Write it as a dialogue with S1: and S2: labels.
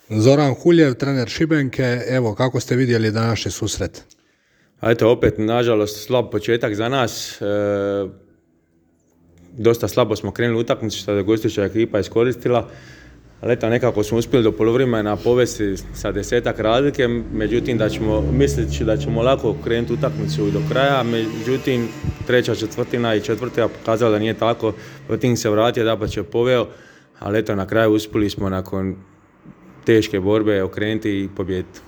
S1: Zoran Huljev, trener Šibenke, evo kako ste vidjeli današnji susret?
S2: A eto, opet, nažalost, slab početak za nas. Dosta slabo smo krenuli utakmicu što je gostujuća ekipa iskoristila. Ali eto, nekako smo uspjeli do poluvremena povesti sa 10-ak razlike, međutim misleći da ćemo lako krenuti utakmicu do kraja, međutim treća četvrtina i četvrta pokazala da nije tako, Protiv se vratio, dapače poveo, ali eto, na kraju uspjeli smo nakon teške borbe okrenuti i pobijediti.